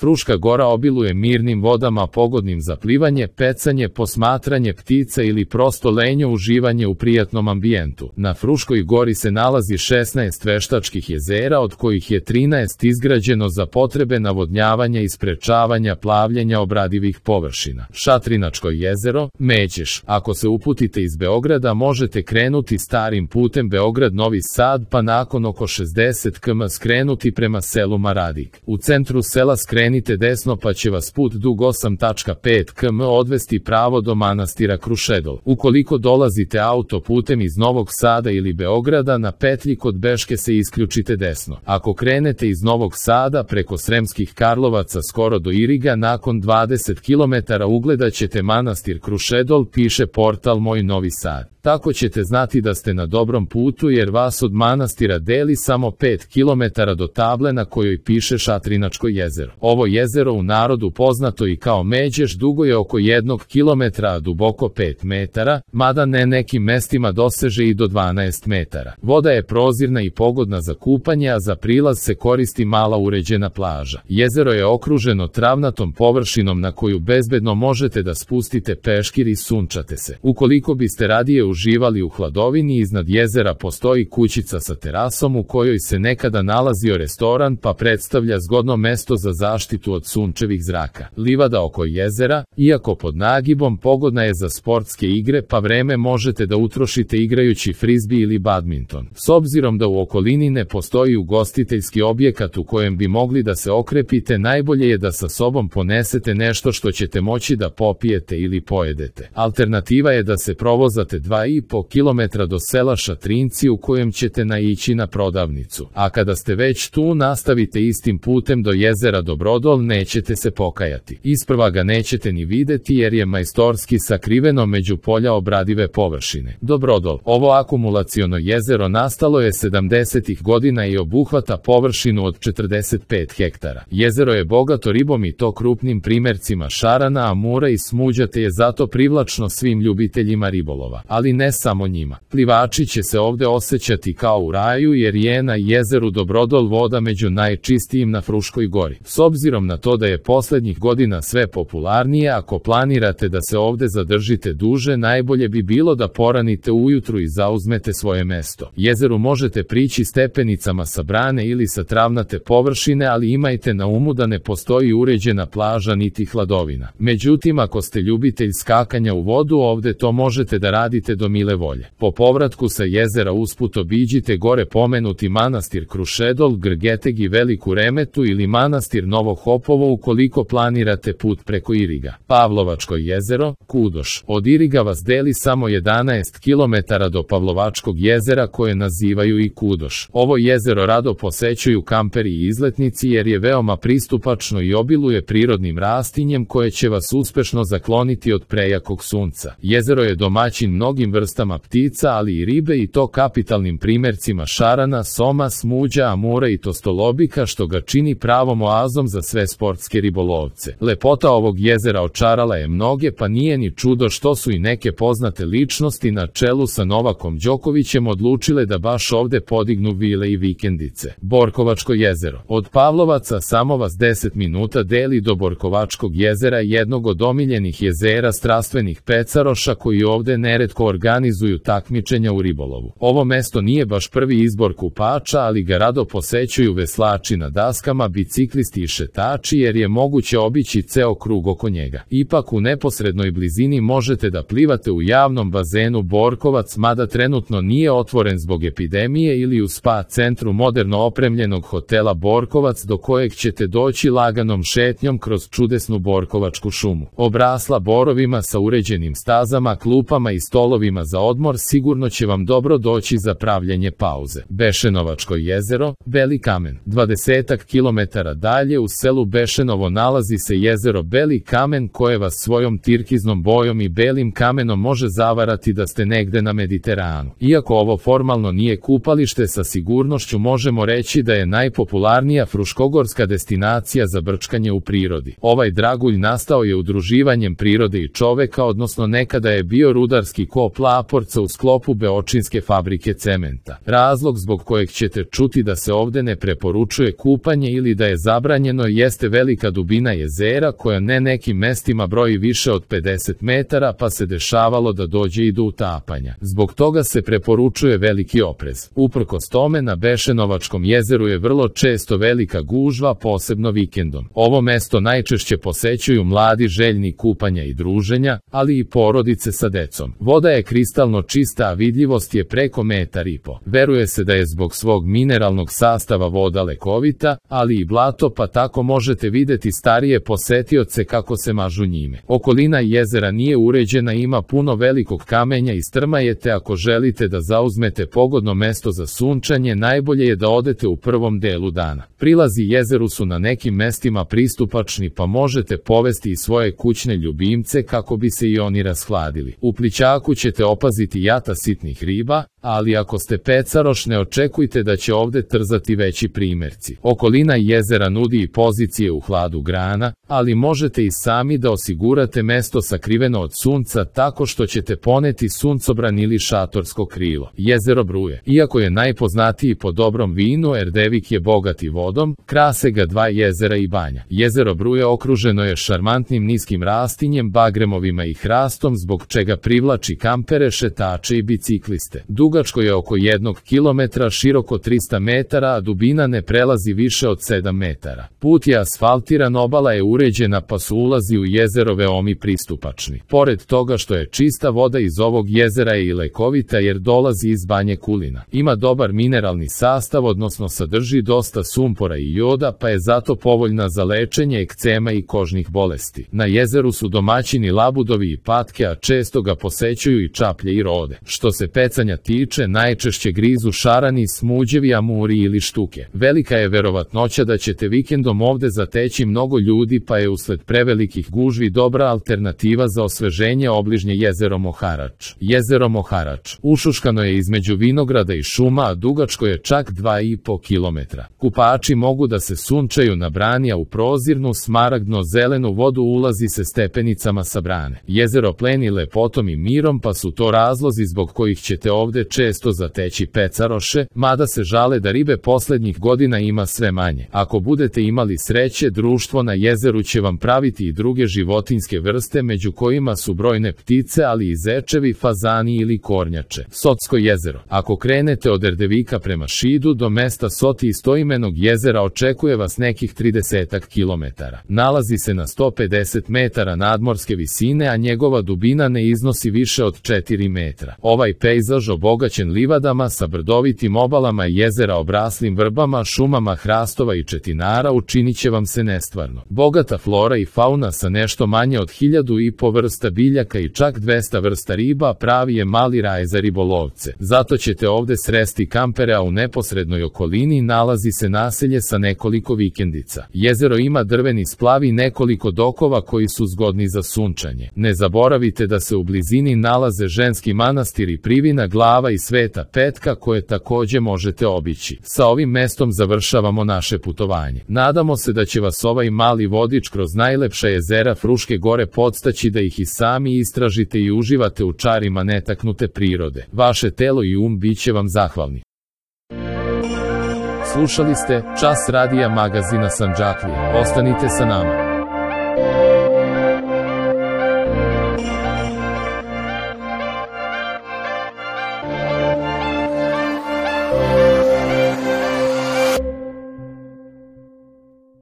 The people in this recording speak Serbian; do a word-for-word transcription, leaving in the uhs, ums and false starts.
Fruška gora obiluje mirnim vodama pogodnim za plivanje, pecanje, posmatranje ptica ili prosto lenje uživanje u prijatnom ambijentu. Na Fruškoj gori se nalazi šesnaest veštačkih jezera, od kojih je trinaest izgrađeno za potrebe navodnjavanja i sprečavanja plavljenja obradivih površina. Šatrinačko jezero, Međeš. Ako se uputite iz Beograda, možete krenuti starim putem Beograd-Novi Sad, pa nakon oko šezdeset kilometara skrenuti prema selu Maradik. U centru sela skrenite desno pa će vas put dug osam zarez pet kilometara odvesti pravo do manastira Krušedol. Ukoliko dolazite autoputem iz Novog Sada ili Beograda, na petlji kod Beške se isključite desno. Ako krenete iz Novog Sada preko Sremskih Karlovaca skoro do Iriga, nakon dvadeset kilometara ugledat ćete manastir Krušedol, piše portal Moj Novi Sad. Tako ćete znati da ste na dobrom putu, jer vas od manastira deli samo pet kilometara do table na kojoj piše Šatrinačko jezero. Ovo jezero, u narodu poznato i kao Međeš, dugo je oko jednog kilometra, a duboko pet metara, mada ne nekim mestima doseže i do dvanaest metara. Voda je prozirna i pogodna za kupanje, a za prilaz se koristi mala uređena plaža. Jezero je okruženo travnatom površinom na koju bezbedno možete da spustite peškir i sunčate se. Ukoliko biste radije uživali u hladovini, iznad jezera postoji kućica sa terasom u kojoj se nekada nalazio restoran, pa predstavlja zgodno mesto za zaštitu od sunčevih zraka. Livada oko jezera, iako pod nagibom, pogodna je za sportske igre, pa vreme možete da utrošite igrajući frizbi ili badminton. S obzirom da u okolini ne postoji ugostiteljski objekat u kojem bi mogli da se okrepite, najbolje je da sa sobom ponesete nešto što ćete moći da popijete ili pojedete. Alternativa je da se provozate dva i po kilometra do sela Šatrinci, u kojem ćete naići na prodavnicu. A kada ste već tu, nastavite istim putem do jezera Dobrodol, nećete se pokajati. Isprva ga nećete ni videti jer je majstorski sakriveno među polja obradive površine. Dobrodol. Ovo akumulaciono jezero nastalo je sedamdesetih godina i obuhvata površinu od četrdeset pet hektara. Jezero je bogato ribom i to krupnim primercima šarana, amura i smuđa, te je zato privlačno svim ljubiteljima ribolova. Ali ne samo njima. Plivači će se ovde osjećati kao u raju, jer je na jezeru Dobrodol voda među najčistijim na Fruškoj gori. S obzirom na to da je poslednjih godina sve popularnije, ako planirate da se ovde zadržite duže, najbolje bi bilo da poranite ujutru i zauzmete svoje mesto. Jezeru možete prići stepenicama sa brane ili sa travnate površine, ali imajte na umu da ne postoji uređena plaža niti hladovina. Međutim, ako ste ljubitelj skakanja u vodu, ovde to možete da radite do mile volje. Po povratku sa jezera usput obiđite gore pomenuti manastir Krušedol, Grgeteg i Veliku Remetu ili manastir Novo Hopovo ukoliko planirate put preko Iriga. Pavlovačko jezero, Kudoš. Od Iriga vas deli samo jedanaest kilometara do Pavlovačkog jezera, koje nazivaju i Kudoš. Ovo jezero rado posećuju kamperi i izletnici jer je veoma pristupačno i obiluje prirodnim rastinjem koje će vas uspešno zakloniti od prejakog sunca. Jezero je domaćin mnogim vrstama ptica, ali i ribe, i to kapitalnim primercima šarana, soma, smuđa, amura i tostolobika, što ga čini pravom oazom za sve sportske ribolovce. Lepota ovog jezera očarala je mnoge, pa nije ni čudo što su i neke poznate ličnosti na čelu sa Novakom Đokovićem odlučile da baš ovde podignu vile i vikendice. Borkovačko jezero. Od Pavlovaca samo vas deset minuta deli do Borkovačkog jezera, jednog od omiljenih jezera strastvenih pecaroša koji ovde neretko organizuju takmičenja u ribolovu. Ovo mesto nije baš prvi izbor kupača, ali ga rado posećuju veslači na daskama, biciklisti i šetači, jer je moguće obići ceo krug oko njega. Ipak u neposrednoj blizini možete da plivate u javnom bazenu Borkovac, mada trenutno nije otvoren zbog epidemije, ili u spa centru moderno opremljenog hotela Borkovac, do kojeg ćete doći laganom šetnjom kroz čudesnu Borkovačku šumu. Obrasla borovima sa uređenim stazama, klupama i stolovima za odmor, sigurno će vam dobro doći za pravljenje pauze. Bešenovačko jezero, Beli kamen. dvadesetak kilometara dalje u selu Bešenovo nalazi se jezero Beli kamen, koje vas svojom tirkiznom bojom i belim kamenom može zavarati da ste negde na Mediteranu. Iako ovo formalno nije kupalište, sa sigurnošću možemo reći da je najpopularnija fruškogorska destinacija za brčkanje u prirodi. Ovaj dragulj nastao je udruživanjem prirode i čoveka, odnosno nekada je bio rudarski kop Laporca u sklopu Beočinske fabrike cementa. Razlog zbog kojeg ćete čuti da se ovde ne preporučuje kupanje ili da je zabranjeno jeste velika dubina jezera koja ne nekim mestima broji više od pedeset metara pa se dešavalo da dođe i do utapanja. Zbog toga se preporučuje veliki oprez. Uprkos tome na Bešenovačkom jezeru je vrlo često velika gužva, posebno vikendom. Ovo mesto najčešće posećuju mladi željni kupanja i druženja, ali i porodice sa decom. Voda je kristalno čista, a vidljivost je preko metar i po. Veruje se da je zbog svog mineralnog sastava voda lekovita, ali i blato, pa tako možete videti starije posetioce kako se mažu njime. Okolina jezera nije uređena, ima puno velikog kamenja i strma je, te ako želite da zauzmete pogodno mesto za sunčanje, najbolje je da odete u prvom delu dana. Prilazi jezeru su na nekim mestima pristupačni, pa možete povesti i svoje kućne ljubimce kako bi se i oni rashladili. U plićaku ćete opaziti jata sitnih riba, ali ako ste pecaroš ne očekujte da će ovde trzati veći primerci. Okolina jezera nudi i pozicije u hladu grana, ali možete i sami da osigurate mesto sakriveno od sunca tako što ćete poneti suncobran ili šatorsko krilo. Jezero Bruje, iako je najpoznatiji po dobrom vinu, Erdevik je bogat i vodom, krase ga dva jezera i banja. Jezero Bruje okruženo je šarmantnim niskim rastinjem, bagremovima i hrastom, zbog čega privlači kampere, šetače i bicikliste. Dugačko je oko jednog kilometra, široko trista metara, a dubina ne prelazi više od sedam metara. Put je asfaltiran, obala je uređena, pa su ulazi u jezero veoma pristupačni. Pored toga što je čista, voda iz ovog jezera je i lekovita jer dolazi iz Banje Kulina. Ima dobar mineralni sastav, odnosno sadrži dosta sumpora i joda, pa je zato povoljna za lečenje ekcema i kožnih bolesti. Na jezeru su domaćini labudovi i patke, a često ga posećuju i čaplje i rode. Što se pecanja tiče, najčešće grizu šarani, smuđevi, amuri ili štuke. Velika je verovatnoća da ćete vikendom ovde zateći mnogo ljudi, pa je usled prevelikih gužvi dobra alternativa za osveženje obližnje jezero Moharač. Jezero Moharač ušuškano je između vinograda i šuma, a dugačko je čak dva i po kilometra. Kupači mogu da se sunčaju na brani, a u prozirnu smaragdno-zelenu vodu ulazi se stepenicama sa brane. Jezero pleni lepotom i mirom, pa su to razlozi zbog kojih ćete ovde često zateći pecaroše, mada se žale da ribe poslednjih godina ima sve manje. Ako budete imali sreće, društvo na jezeru će vam praviti i druge životinjske vrste, među kojima su brojne ptice, ali i zečevi, fazani ili kornjače. Sotsko jezero. Ako krenete od Erdevika prema Šidu do mesta Soti istoimenog jezera, očekuje vas nekih trideset kilometara. Nalazi se na sto pedeset metara nadmorske visine, a njegova dubina ne iznosi više od četiri metra. Ovaj pejzaž, obogaćen livadama sa brdovitim obalama jezera obraslim vrbama, šumama hrastova i četinara, učinit će vam se nestvarno. Bogata flora i fauna sa nešto manje od hiljadu i po vrsta biljaka i čak dvesta vrsta riba pravi je mali raj za ribolovce. Zato ćete ovde sresti kampere, a u neposrednoj okolini nalazi se naselje sa nekoliko vikendica. Jezero ima drveni splav i nekoliko dokova koji su zgodni za sunčanje. Ne zaboravite da se u blizini nalaze ženski manastir i Privina glava i Sveta Petka, koje takođe možete obići. Sa ovim mestom završavamo naše putovanje. Nadamo se da će vas ovaj mali vodič kroz najlepša jezera Fruške gore podstaći da ih i sami istražite i uživate u čarima netaknute prirode. Vaše telo i um bit će vam zahvalni. Slušali ste Čas radija magazina Sandžaklija. Ostanite sa nama.